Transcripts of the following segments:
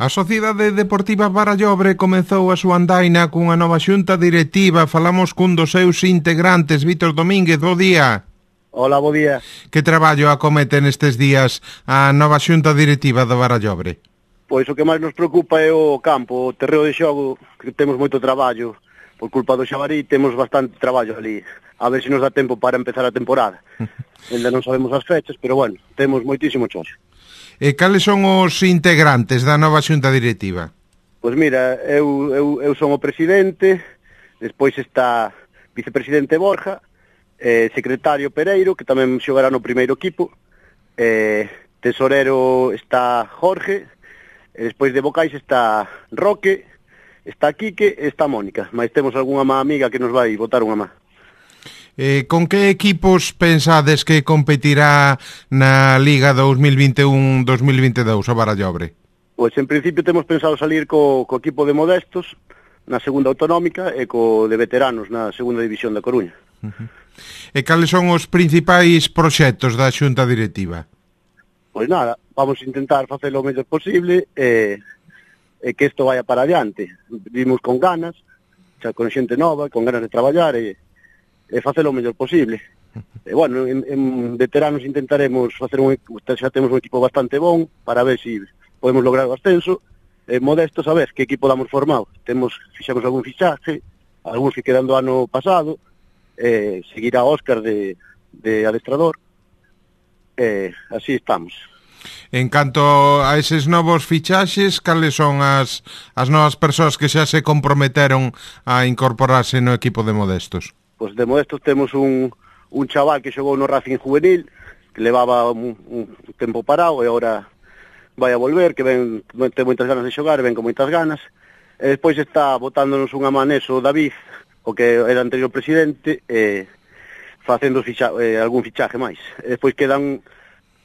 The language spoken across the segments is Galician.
A Sociedade Deportiva Barallobre comezou a súa andaina cunha nova xunta directiva. Falamos cun dos seus integrantes, Vítor Domínguez, bo día. Hola, bo día. Que traballo acomete nestes días a nova xunta directiva do Barallobre? Pois o que máis nos preocupa é o campo, o terreo de xogo, que temos moito traballo. Por culpa do Xabarí temos bastante traballo ali. A ver se nos dá tempo para empezar a temporada. Ainda non sabemos as fechas, pero bueno, temos moitísimo choxo. E cales son os integrantes da nova xunta directiva? Pois mira, eu son o presidente, despois está vicepresidente Borja, secretario Pereiro, que tamén xogará no primeiro equipo, tesorero está Jorge, e despois de vocais está Roque, está Quique e está Mónica, mas temos algunha má amiga que nos vai botar unha má. Con que equipos pensades que competirá na Liga 2021-2022 o Barallobre? Pois en principio temos pensado salir co equipo de Modestos na segunda autonómica e co de veteranos na segunda división da Coruña. E cales son os principais proxectos da xunta directiva? Pois nada, vamos a intentar facelo o mellor posible e que isto vaya para adiante. Vimos con ganas, xa con xente nova, con ganas de traballar e facelo o mellor posible. E bueno, en veteranos intentaremos facer xa temos un equipo bastante bon para ver se podemos lograr o ascenso. Modestos, a ver que equipo damos formado. Fixamos algún fichaje, algúns que quedan do ano pasado, seguirá Óscar de adestrador. Así estamos. En canto a eses novos fichaxes, cales son as novas persoas que xa se comprometeron a incorporarse no equipo de Modestos? Pois de Modestos temos un chaval que xogou no Racing Juvenil, que levaba un tempo parado e agora vai a volver, que ten moitas ganas de xogar, ven con moitas ganas. E despois está botándonos unha man eso David, o que era anterior presidente, facendo algún fichaje máis. E despois quedan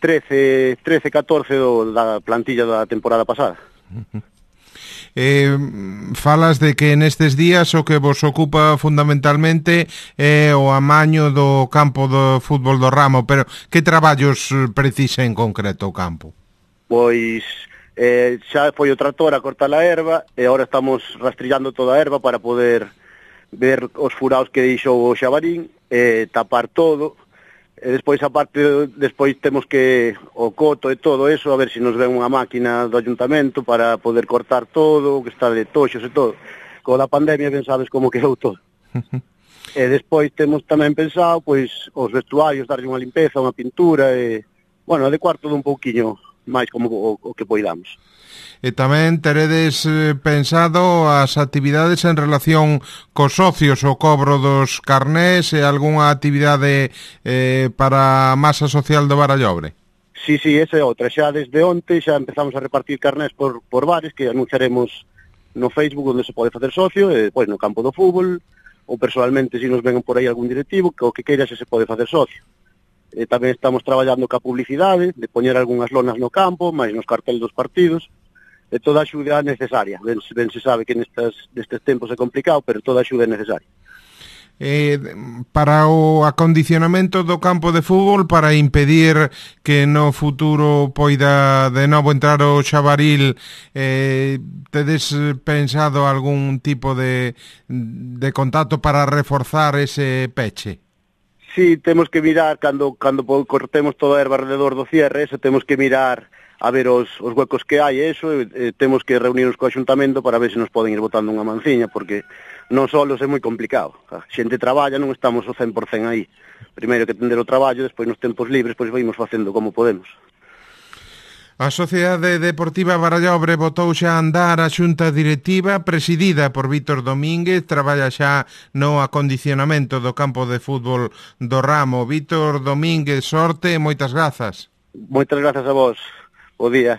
13, 14 da plantilla da temporada pasada. Falas de que nestes días o que vos ocupa fundamentalmente é o amaño do campo do fútbol do Ramo, pero que traballos precisa en concreto o campo? Pois xa foi o tractor a cortar a erva e agora estamos rastrillando toda a erva para poder ver os furaos que deixou o Xabarín, tapar todo. E despois, despois temos que o coto e todo eso, a ver se nos ven unha máquina do ayuntamento para poder cortar todo, que está de toxos e todo. Co da pandemia ben sabes como quedou todo. E despois temos tamén pensado, pois, os vestuarios, darlle unha limpeza, unha pintura, e, bueno, adecuar todo un pouquiño máis como o que poidamos. E tamén teredes pensado as actividades en relación cos socios, o cobro dos carnés e algunha actividade para a masa social do Barallobre? Sí, esa é outra. Xa desde onte xa empezamos a repartir carnés por bares que anunciaremos no Facebook onde se pode facer socio e depois no campo do fútbol ou personalmente se nos ven por aí algún directivo que o que queira xa se pode facer socio. E tamén estamos traballando ca publicidade de poñer algunhas lonas no campo, máis nos carteles dos partidos. E toda a axuda necesaria. Ben se sabe que nestes tempos é complicado, pero toda a axuda é necesaria. Para o acondicionamento do campo de fútbol, para impedir que no futuro poida de novo entrar o Xabaril, tedes pensado algún tipo de contacto para reforzar ese peche? Sí, temos que mirar, cando cortemos toda a erva alrededor do cierre, eso temos que mirar a ver os huecos que hai, eso, temos que reunirnos co Axuntamento para ver se nos poden ir botando unha manciña, porque non solos é moi complicado. A xente traballa, non estamos o 100% aí. Primeiro que atender o traballo, despois nos tempos libres, pois vamos facendo como podemos. A Sociedade Deportiva Barallobre botou xa a andar a xunta directiva presidida por Vítor Domínguez, traballa xa no acondicionamento do campo de fútbol do Ramo. Vítor Domínguez, sorte e moitas grazas. Moitas grazas a vos. Bo día.